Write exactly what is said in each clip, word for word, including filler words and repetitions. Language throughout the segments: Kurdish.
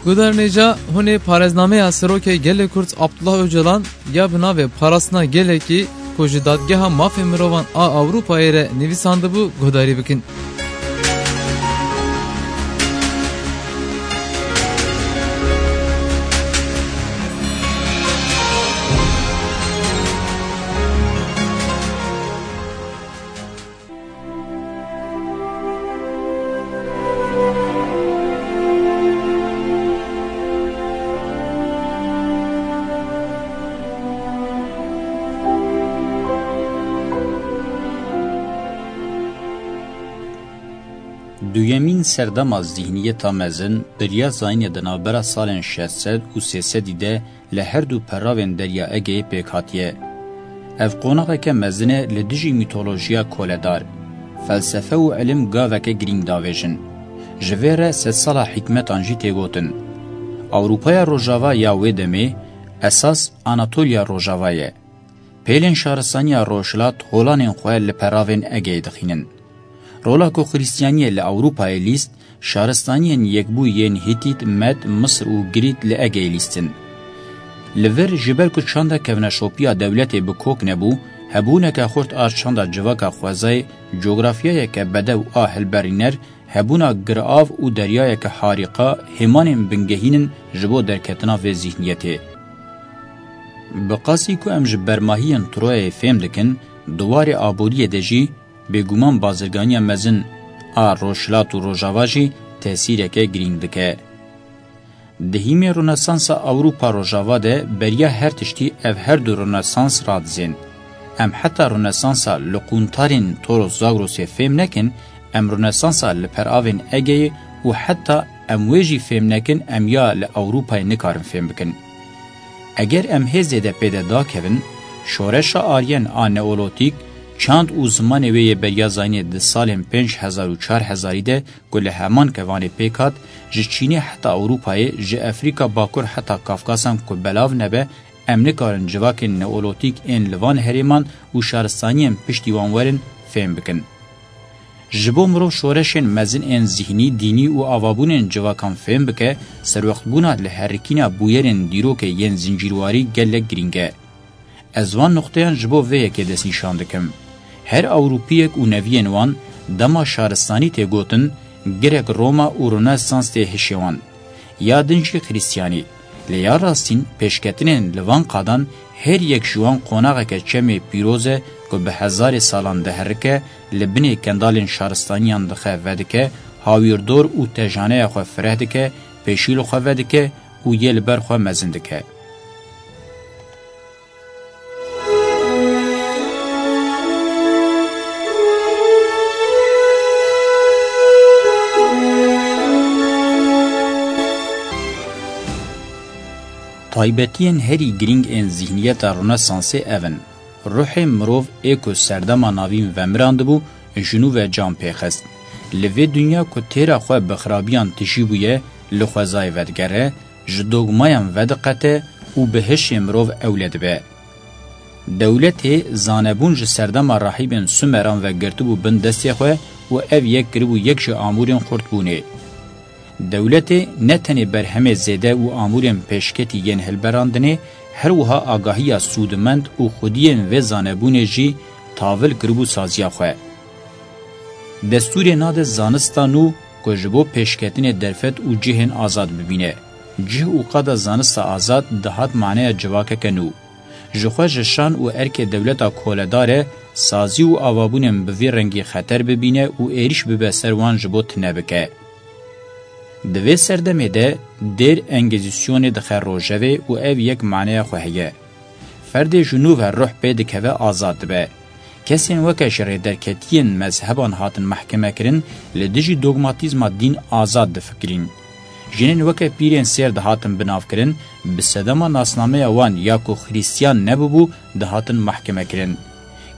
Guhdarên hêja, hûn ê parêznameya Serokê Gelê Kurd Abdullah Ocalan ya bi navê Parastina Gelekî ku ji Dadgeha Mafê Mirovan a Ewropayê re nivîsandibû guhdarî bikin. Duyemîn serdema zîhniyeta mezin, beriya zayînê di navbera salên şeş sed û sê sedî de li her du peravên Derya Egeyê pêk hatiye. Ev qonaxeke mezin e li dijî mîtolojiya koledar. Felsefe û ilim gaveke girîng davêjin. Ji vê re sedsala hikmetan jî tê gotin. Ewropaya Rojava ya wê demê esas Anatoliya Rojava ye. Pêlên şaristaniya Rojhilat holanên xwe li peravên Egeyê dixînin. Rola ku Xristiyaniyê li Ewropayê lîst, şaristaniyên yekbûyî yên Hîtît, Med, Misir û Girît li Egeyê lîstin. Li vir, ji ber ku çanda kevneşopiya dewletê bi kok nebû, hebûneke xurt a çanda civaka xwezayê, cografyayeke bedew a hilberîner, hebûna girav û deryayeke harîqa, hêmanên bingehîn in ji bo derketina vê zîhniyetê. Bi qasî ku em ji bermahiyên Troyayê fêm dikin, di warê aboriyê de jî, bêguman bazirganiya mezin a Rojhilat û Rojava jî tesîreke girîng dike. Di hîmê Ronesansa Ewropa Rojava de beriya her tiştî ev her du Ronesans radizên. Em heta Ronesansa li qûntarên Toros Zagrosê fêm nekin, em Ronesansa li peravên Egeyê û heta em wê jî fêm nekin, em ya li Ewropayê nikarin fêm bikin. Eger em hê zêde pê de dakevin, şoreşa Aryen a Neolotîk, çand û zimanê wê yê beriya zayînê di salên pênc hezar û çar hezarî de ku li heman kevanê pêk hat, ji Çînê heta Ewropayê, ji Efrîka Bakur heta Kafkasan ku belav nebe, em nikarin civakên Neolotîk ên li van herêman û şaristaniyên piştî wan werin fêm bikin. Ji bo mirov şoreşên mezin ên zîhnî, dînî û avabûnên civakan fêm bike, serwextbûna li herikîna bûyerên dîrokê yên zincîrwarî gelek girîng e. Ez van nuqteyan ji bo vê yekê destnîşan dikim. Her Ewropiyek û neviyên wan dema şaristanî tê gotin, girek Roma û Ronesans tê hişê wan. Ya din jî Xristiyanî. Lê ya rastîn pêşketinên li van qadan her yek ji wan qonaxeke çemê pîroz e ku bi hezarê salan diherike, li binê kendalên şaristaniyan dixe vedike, hawîrdor û tejaneya xwe fireh dike, pêşî li xwe vedike û yê li ber xwe mezin dike. Taybetiyên herî girîng ên zîhniyeta Ronesansê ev in: ruhê mirov ê ku serdema navîn vemirandibû, ji nû ve can pê xist. Li vê dinya ku têra xwe bi xirabiyan tijî bûye, li xwezayê vedigere, ji dogmayan vediqete û bi hişê mirov ewle dibe. Dewletê zanebûn ji serdema rahîbên Sumeran ve girtibû bin destê xwe û ev yek kiribû yek ji amûrên xurtbûnê. Dewletê ne tenê berhemê zêde û amûrên pêşketî yên hilberandinê, her wiha agahiya sûdmend û xwediyên vê zanebûnê jî tavil kiribû saziya xwe. Destûrê nade zanista nû ku ji bo pêşketinê derfet û cihên azad bibîne. Cih û qada zanista azad dihat maneya civakeke nû. Ji xwe ji şan û erkê dewleta koledar e, sazî û avabûnên bi vî rengî xeter bibîne û êrîş bibe ser wan ji bo tune bike. Di vê serdemê de dêr Engezîsyonê dixe rojevê û ev yek maneya xwe heye. Ferdê ji nû ve ruh pê dikeve, azad dibe. Kesên weke ji rêderketiyên mezheban hatin mehkemekirin, li dijî dogmatîzma dîn azad difikirîn. Jinên weke pîrên sêr dihatin binavkirin, bi sedema nasnameya wan ya ku Xrîstiyan nebûbû, dihatin mehkemekirin.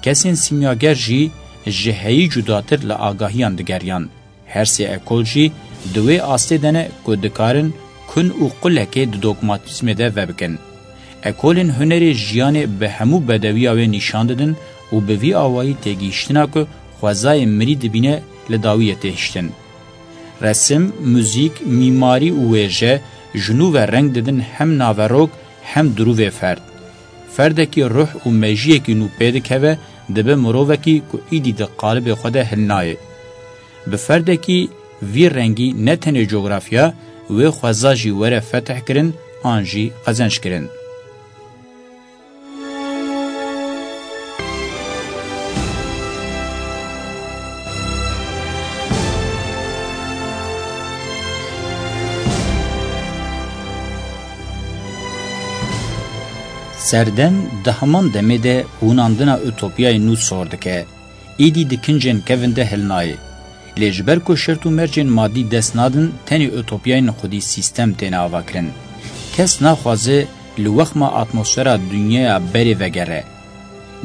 Kesên sîmyager jî ji heyî cudatir li agahiyan digeriyan. Her sê ekol jî di wê astê de ne ku dikarin kun û qulekê di dogmatîzmê de vebikin. Ekolên hunerê jiyanê bi hemû bedewiya wê nîşan didin û bi vî awayî têgihiştina ku xwezayê mirî dibîne li dawiyê tê hiştin. Resim, muzîk, mîmarî û wêje, Ji nû ve reng didin hem naverok hem dirûvê ferd. Ferdekî ruh û mejiyekî nû pê dikeve, dibe mirovekî ku îdî di qalibê xwe de hilnayê. Bi ferdekî vî rengî ne tenê cografya wê xweza jî were fetihkirin an jî qezenckirin. Serdem di heman demê de hûnandina utopyayê nû sor dike. Êdî di kincên kevin de hilnayê. Lê ji ber ku şert û mercên madî dest nadin, tenê utopyayên xwedî sîstem têne avakirin. Kes naxwaze li wexma atmosfera dinyaya berê vegere.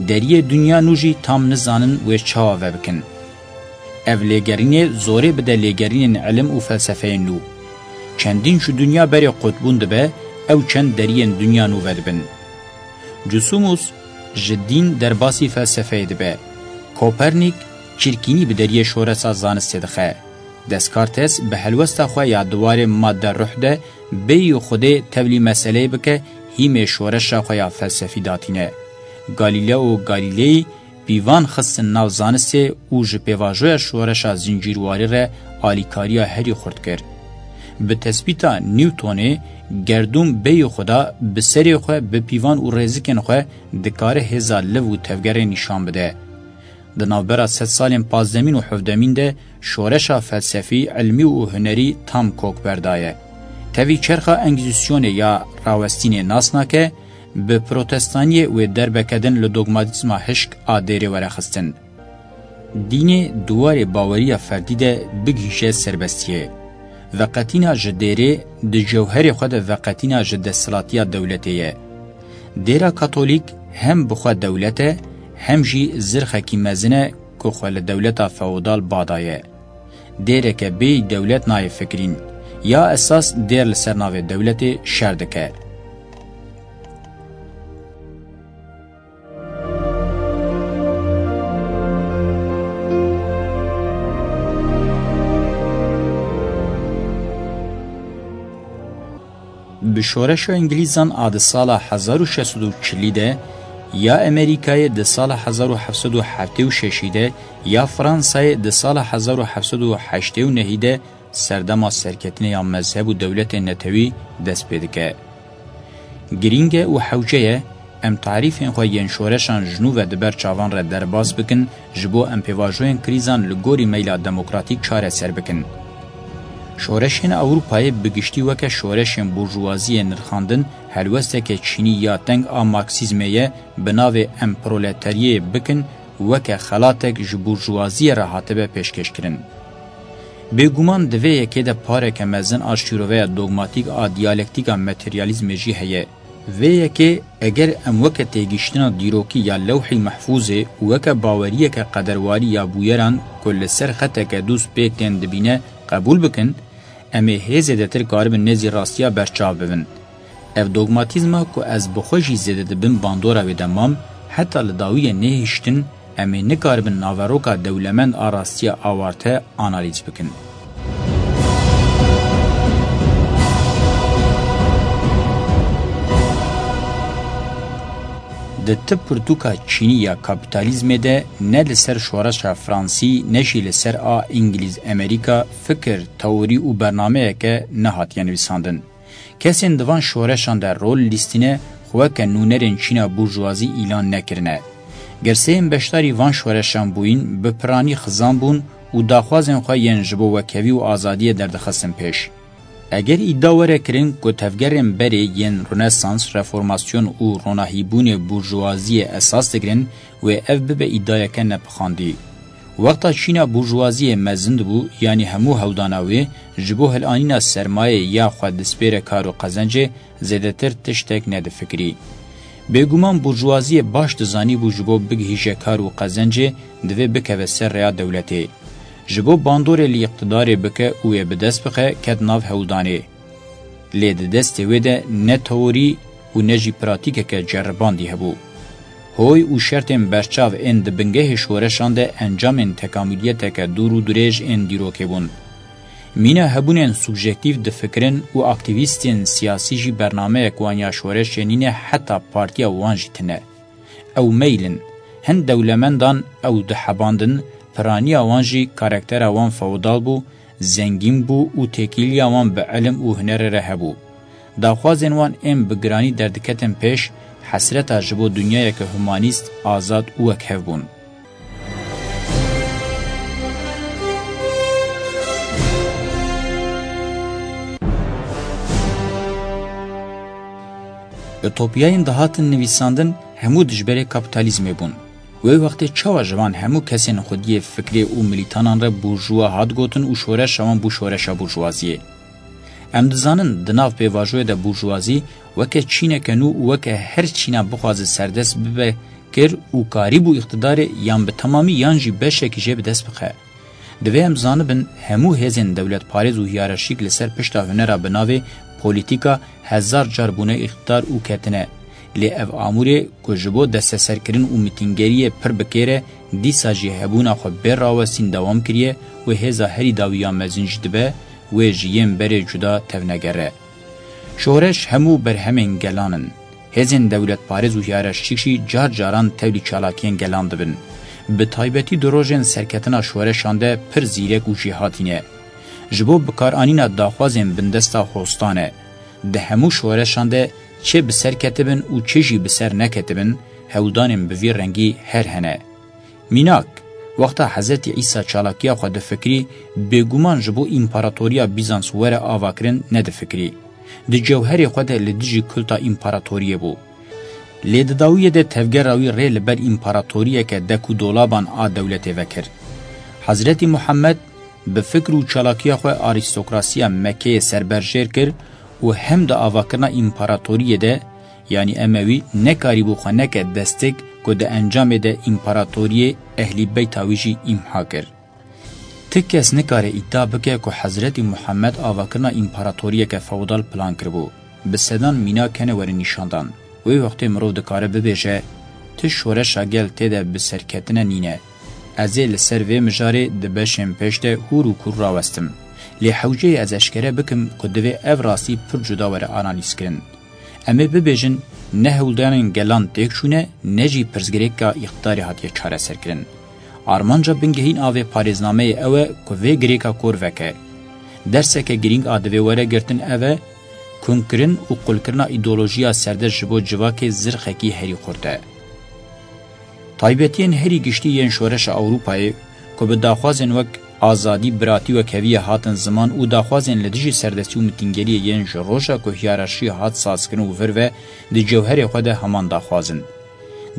Deriyê dinya nû jî tam nizanin wê çawa vebikin. Ev lêgerînê zorê bide lêgerînên ilim û felsefeyên nû. Çendîn ji dinya berê qutbûn dibe, ew çend deriyên dinya nû vedibin. Cusumus ji dîn derbasî felsefeyê dibe. Kopernîk çirkînî bi deriyê şoreşa zanistê dixe. Descartes bi helwesta xwe ya di warê madde ruh de bêyî Xwedê tevlî meseleyê bike, hîmê şoreşa xwe ya felsefî datîne. Galileo Galilei pîvan xistin nav zanistê û ji pêvajoya şoreşa zincîrwarî re alîkariya herî xurt kir. Bi tespîta Newtonê, gerdûn bêyî Xweda bi serê xwe, bi pîvan û rêzikên xwe dikare hêza liv û tevgerê nîşan bide. Di navbera sedsalên pazdemîn û hevdemîn de şoreşa felsefî, ilmî û hunerî tam kok berdaye. Tevî çerxa Engîzîsyonê ya rawestînê nas nake, bi protestaniyê wê derbeke din li dogmatîzma hişk a dêrê were xistin. Dînê di warê baweriya ferdî de bigihîje serbestiyê. Veqetîna ji dêrê di cewherê xwe de veqetîna ji desthilatiya dewletê ye. Dêra Katolîk hem bi xwe dewlet e, hem jî zirxekî mezin e ku xwe li dewleta feodal ba daye. Dêreke bêyî dewlet nayê fikirîn. Ya esas dêr li ser navê dewletê şer dike. Bi şoreşa Îngilîzan a di sala hezar û şeş sed û çilî de, ya Amerîkayê di sala hezar û heft sed û heftê û şeşî de, ya Fransayê di sala hezar û heft sed û heştê û nehî de serdema serketinê ya mezheb û dewletên netewî dest pê dike. Girîng e û hewce ye em tarîfên xwe yên şoreşan ji nû ve di ber çavan re derbas bikin, ji bo em pêvajoyên krîzan li gorî meyla demokratîk çareser bikin. Şoreşên Ewropayê bi giştî weke şoreşên burjuwaziyê nirxandin, helwesteke çînî ya teng a Marksîzmê ye, bi navê em proleteriyê bikin, weke xelatek ji burjuwaziyê re hatibe pêşkêşkirin. Bêguman di vê yekê de pareke mezin a şîroveya dogmatîk a diyalektîka materyalîzmê jî heye. Vê yekê eger em weke têgihiştina dîrokî ya Lewhî Mehfûzê û weke baweriyeke qederwarî ya bûyeran ku li ser xeteke dûz pê tên dibîne qebûl bikin, em ê hê zêdetir karibin nêzî rastiya berçav bibin. Ev dogmatîzma ku ez bi xwe jî zêde di bin bandora wê de mam, heta li dawiyê nehiştin, em ê nikaribin naveroka dewlemend a rastiya awarte analîz bikin. Di tip pirtûka çînî ya kapîtalîzmê de ne li ser şoreşa fransî ne jî li ser a îngilîz-emerîka fikir, teorî û bernameyeke nehatiye nivîsandin. Kesên di van şoreşan de rol lîstîne xwe weke nûnerên çîna burjuwazî îlan nekirine. Girseyên beşdarî van şoreşan bûyîn bi piranî xizan bûn û daxwazên xwe yên ji bo wekhevî û azadiyê derdixistin pêş. Eger îdia were kirin ku tevgerên berê yên Ronesans, Reformasyon û ronahîbûnê burjuwaziyê esas digirin, wê ev bibe îdiayeke nepixandî. Wexta çîna burjuwaziyê mezin dibû, yanî hemû hewldana wê ji bo hilanîna sermayê ya xwe dispêre kar û qezencê, zêdetir tiştek nedifikirî. Bêguman burjuwaziyê baş dizanîbû ji bo bigihîje kar û qezencê divê bikeve ser rêya dewletê. Ji bo bandorê li îqtidarê bike û wê bi dest bixe, ket nav hewldanê. Lê di destê wê de ne teorî û ne jî pratîkeke ceribandî hebû. Hoy û şertên berçav ên di bingehê şoreşan de encamên tekamûliyeteke dûr û dirêj ên dîrokê bûn. Mîna hebûnên subjektîf difikirin û aktîvîstên siyasî jî bernameyek wan ya şoreşê nîne, heta partiya wan jî tine. Ew meyl in. Hin dewlemendan ew dihebandin, piraniya wan jî karaktera wan feodal bû, zengîn bû û têkiliya wan bi ilim û hunerê re hebû. Daxwazên wan ên bi giranî derdiketin pêş, hesreta ji bo dinyayeke humanîst, azad û wekhev bûn. Utopyayên dihatin nivîsandin hemû dijberê kapîtalîzmê bûn. Wê wextê çawa ji van hemû kesên xwediyê fikrê û milîtanan re burjuwa hat gotin û şoreşa wan bû şoreşa burjuwaziyê? Em dizanin, di nav pêvajoyê de burjuwazî weke çîneke nû û weke her çîna bixwaze serdest bibe kir û karîbû îqtidarê yan bi temamî yan jî beşekî jê bi dest bixe. Divê em zanibin, hemû hêzên dewletparêz û hiyerarşîk li ser pişta hunera bi navê polîtîka hezar car bûne îqtidar û ketine. Lê ev amûrê ku ji bo desteserkirin û mitîngeriyê pir bi kêr e, dîsa jî hebûna xwe bê rawestîn dewam kiriye û hêza herî dawî ya mezin jî dibe wê ji yên berê cuda tevnegere. Şoreş hemû berhemên gelan in. Hêzên dewletparêz û hiyerarşîk jî car caran tevlî çalakiyên gelan dibin. Bi taybetî di rojên serketina şoreşan de pir zîrek û jêhatî ne. Ji bo bikaranîna daxwazên bindesta hostan e. Di hemû şoreşan de çi bi ser ketibin û çi jî bi ser neketibin, hewldanên bi vî rengî her hene. Mînak, wexta Hezretî Îsa çalakiya xwe difikirî, bêguman ji bo împaratoriya Bîzans were avakirin nedifikirî. Di cewherê xwe de li dijî kulta împaratoriyê bû. Lê di dawiyê de tevgera wî rê li ber împaratoriyeke dek û dolaban a dewletê vekir. Hezretî Muhammed bi fikr û çalakiya xwe arîstokrasiya Mekkeyê serberjêr kir û hem di avakirina împaratoriyê de, yanî Emewî, nekarîbû xwe neke destik ku di encamê de împaratoriyê ehlî beyta wî jî îmha kir. Ti kes nikare îdia bike ku Hezretî Muhammed avakirina împaratoriyeke feodal plan kiribû. Bi sedan mînak hene werin nîşandan. Wê wextê mirov dikare bibêje, ti şoreşa gel tê de bi serketine nîne. Ez ê li ser vê mijarê di beşên pêş de hûr û kûr rawestim. Lê hewceyê ez eşkere bikim ku divê ev rastî pir cuda were analîzkirin. Em ê bibêjin, ne hewldanên gelan têk çûne, ne jî pirsgirêka îqtidarê hatiye çareserkirin. Armanca bingehîn a vê parêznameyê ew e ku vê girêka kor veke. Derseke girîng a divê were girtin ev e, kunkirin û qulkirina îdeolojiya serdest ji bo civakê zirxekî herî xurt e. Taybetiyên herî giştî yên şoreşa Ewropayê ku bi daxwazên wek azadî, biratî, wekheviyê hatin ziman û daxwazên li dijî serdestî û mitîngeriyê yên ji roja ku hiyerarşî hat sazkirin û vir ve di cewherê xwe de heman daxwaz in.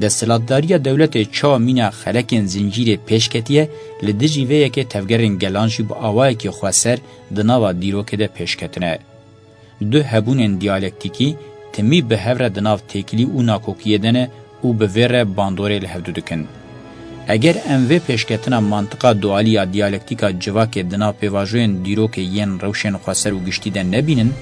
Desthilatdariya dewletê çawa mîna xelekên zincîrê pêş ketiye, li dijî vê yekê tevgerên gelan jî bi awayekî xweser di nava dîrokê de pêş ketine. Du hebûnên diyalektîkî timî bi hev re di nav têkilî û nakokiyê de ne û bi vê re bandorê li hevdu dikin. Eger em vê pêşketina mantiqa dualî ya diyalektîka civakê di nav pêvajoyên dîrokê yên rewşên xweser û giştî de nebînin,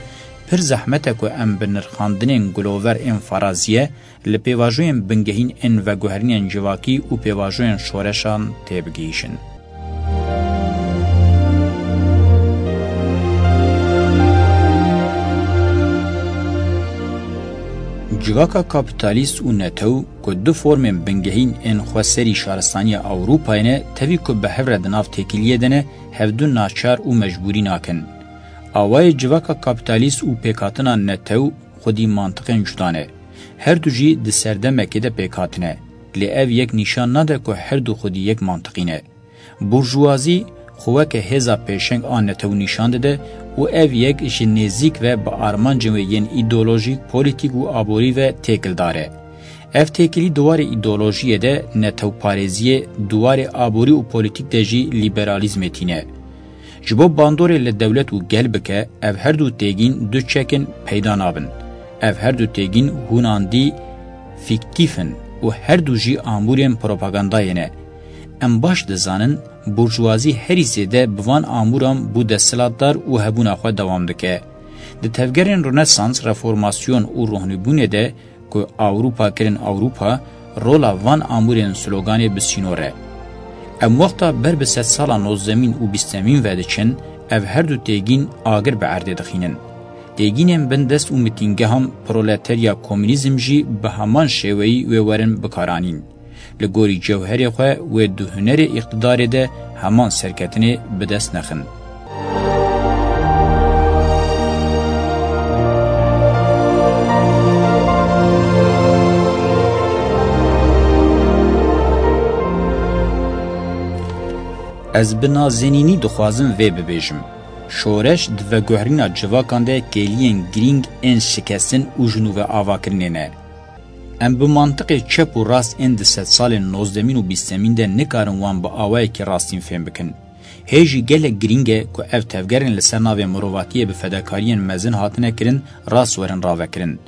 pir zehmet e ku em bi nirxandinên gulover ên faraziye li pêvajoyên bingehîn ên veguherînên civakî û pêvajoyên şoreşan têbigihîşin. Civaka kapîtalîst û netew ku du formên bingehîn ên xweserî şaristaniya Ewropayê ne, tevî ku bi hev re di nav têkiliyê de ne, hevdu naçar û mecbûrî nakin. Awayê civaka kapîtalîst û pêkhatina netew xwedî mantiqên cuda ne. Her du jî di serdemekê de pêk hatine. Lê ev yek nîşan nade ku her du xwedî yek mantiqî ne. Burjuwazî xwe weke hêza pêşeng a netew nîşan dide û ev yek ji nêzîk ve bi armancên wê yên îdeolojîk, polîtîk û aborî ve têkildar e. Ev têkilî di warê îdeolojiyê de netewparêziyê, di warê aborî û polîtîk de jî lîberalîzmê tîne. Ji bo bandorê li dewlet û gel bike, ev her du têgîn du çek in, peyda nabin. Ev her du têgîn hûnandî fîktîf in û her du jî amûrên propagandayê ne. Em baş dizanin, burjuwazî herî zêde bi van amûran bû desthilatdar û hebûna xwe dewam dike. Di tevgerên Rönesans, Reformasyon û Rohnîbûnê de ku Ewropa kirin Ewropa, rola van amûrên sloganê bi sînor e. Em wexta ber bi sedsala nozdemîn û bîstemîn ve diçin, Ev her du têgîn agir bi erdê dixînin. Têgînên bindest û mitîngehan proleterya komûnîzm jî bi heman şêweyî wê werin bikaranîn. Li gorî cewherê xwe wê di hunerê îqtidarê de heman serketinê bi dest nexin. Ez bi nazenînî dixwazim vê bibêjim. Şoreş di veguherîna civakan de kêliyên girîng ên şikestin û ji nû ve avakirinê ne. Em bi mantiqê çep û rast ên di sedsalên nozdemîn û bîstemîn de nikarin wan bi awayekî rastîn fêm bikin. Hê jî gelek girîng e ku ev tevgerên li ser navê mirovatiyê bi fedakariyên mezin hatine kirin, rast werin ravekirin.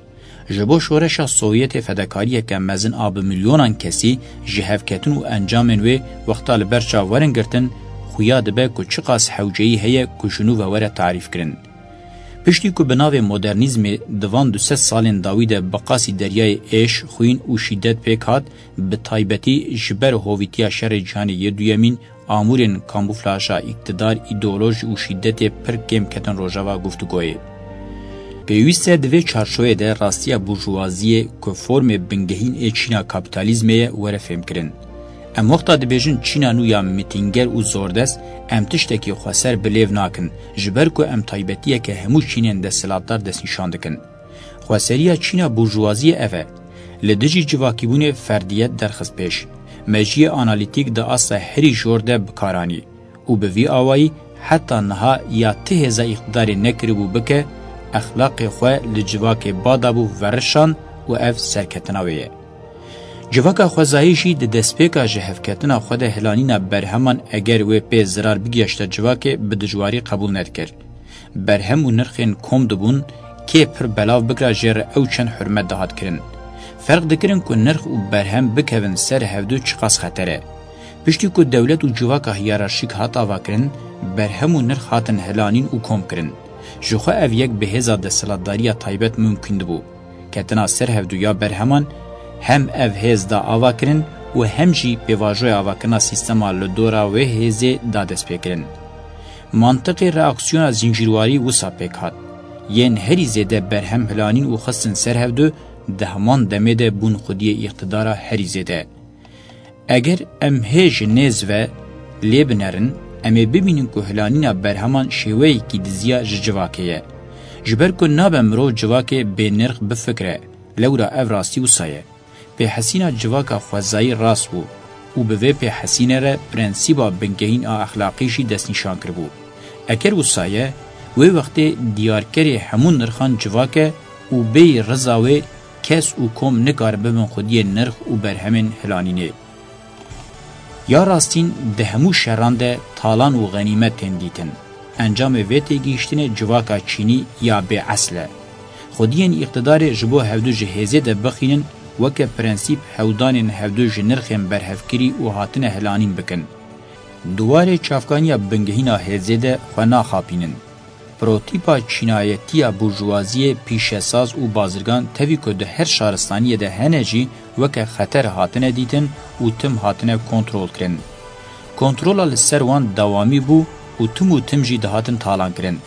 Ji bo şoreşa Sovyetê fedakariyeke mezin a bi milyonan kesî ji hevketin û encamên wê wexta li ber çav werin girtin, xuya dibe ku çiqas hewceyî heye ku ji nû ve were tarîfkirin. Piştî ku bi navê modernîzmê di van du sed salên dawî de bi qasî deryayê êş, xwîn û şîdet pêk hat, bi taybetî ji ber hovîtiya Şerê Cîhanê yê Duyemîn, amûrên kamûflaja îktidar, îdeolojî û şîdetê pir kêm ketin rojeva guftûgoyê. Pêwîst e di vê çarçoveyê de rastiya burjûwaziyê ku formê bingehîn ê çîna kapîtalîzmê ye were fêmkirin. Em wexta dibêjin çîna nû ya mitînger û zordest, em tiştekî xweser bi lêv nakin, ji ber ku em taybetiyeke hemû çînên desthilatdar destnîşan dikin. Xweseriya çîna burjûwaziyê ev e. Li dijî civakîbûnê ferdiyet derxist pêş. Mejiyê analîtîk di asta herî jor de bi kar anî û bi vî awayî heta niha ya ti hêza îqtidarê nekiribû bike, exlaqê xwe li civakê ba dabû verişan û ev serketina wê ye. Civaka xwezayî jî di destpêka ji hevketina xwe de hilanîna berheman eger wê pê zirar bigihaşta civakê bi dijwarî qebûl nedikir. Berhem û nirxên kom dibûn, kê pir belav bikira jê re ew çend hurmet dihat kirin. Ferq dikirin ku nirx û berhem bikevin ser hevdu çiqas xeter e. Piştî ku dewlet û civaka hiyerarşîk hat avakirin, berhem û nirx hatin hilanîn û kom kirin. Ji xwe ev yek bi hêza desthilatdariya taybet mimkûn dibû. Ketina ser hevdu ya berheman hem ev hêz da avakirin û hem jî pêvajoya avakirina sîstema li dora wê hêzê da destpêkirin. Mantiqê reaksiyona zincîrwarî wisa pêk hat. Yên herî zêde berhem hilanîn û xistin ser hevdu di heman demê de bûn xwediyê îqtidara herî zêde. Eger em hê ji nêz ve lê binerin, em ê bibînin ku hilanîna berheman şêweyekî diziya ji civakê ye. Ji ber ku nabe mirov civakê bênirx bifikire, lewra ev rastî wisa ye. Pêhesîna civaka xwezayî rast bû û bi vê pêhesînê re prensîba bingehîn a exlaqî jî destnîşan kiribû. Eger wisa ye, wê wextê diyarkerê hemû nirxan civak e û bêyî riza wê kes û kom nikarin bibin xwediyê nirx û berhemên hilanînê. Ya rastîn di hemû şeran de talan û xenîmet tên dîtin. Encamê vê têgihiştinê civaka çînî ya bê esl e. Xwediyên îqtidarê ji bo hevdu ji hêzê de bixînin, weke prensîp hewdanên hevdu ji nirxên berhevkirî û hatine hilanîn bikin. Di warê çavkaniya bingehîna hêzê de xwe naxapînin. Protîpa çînayetiya burjûwaziyê, pîşesaz û bazirgan tevî ku di her şaristaniyê de hene jî weke xeter hatine dîtin û tim hatine kontrolkirin. Kontrola li ser wan dewamî bû û tim û tim jî dihatin talankirin.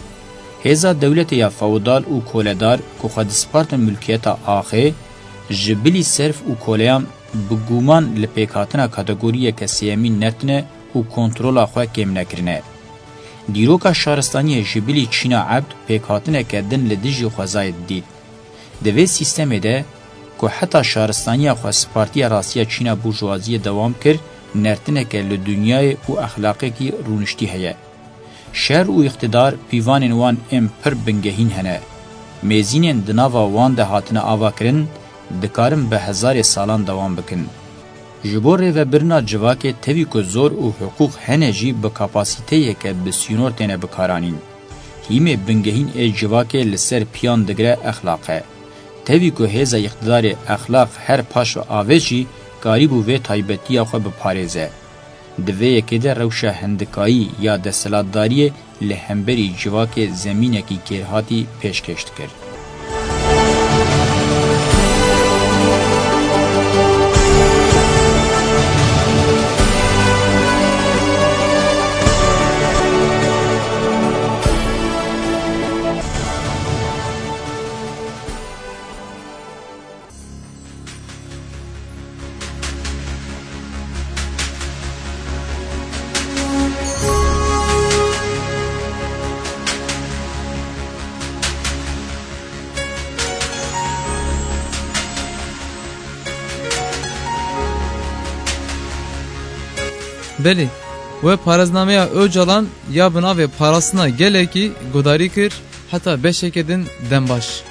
Hêza dewletê ya feodal û koledar ku xwe dispartin milkiyeta axê, ji bilî serf û koleyan bi guman li pêkhatina kategoriyeke sêyemîn nertine û kontrola xwe kêm nekirine. Dîroka şaristaniyê ji bilî çîna ebd pêkhatineke din li dijî xwezayê didît. Di vê sîstemê de ku heta şaristaniya xwe spartiye rastiya çîna burjûwaziyê dewam kir, nertineke li dinyayê û exlaqekî rûniştî heye. Şer û îqtidar pîvanên wan ên pir bingehîn hene. Mêzînên di nava wan de hatine avakirin, dikarin bi hezarê salan dewam bikin. Ji bo rêvebirina civakê tevî ku zor û hiqûq hene jî bi kapasîteyeke bi sînor têne bikaranîn. Hîmê bingehîn ê civakê li ser piyan digire exlaq e. Tevî ku hêza îqtidarê exlaq her paş ve avêt jî karîbû vê taybetiya xwe biparêze. Di vê yekê de rewşa hindikayî ya desthilatdariyê li hemberî civakê zemînekî kêrhatî pêşkêş dikir. Belê, we parêznameya Ocalan ya bi navê Parastina Gelekî guhdarî kir, heta beşeke din dembaş.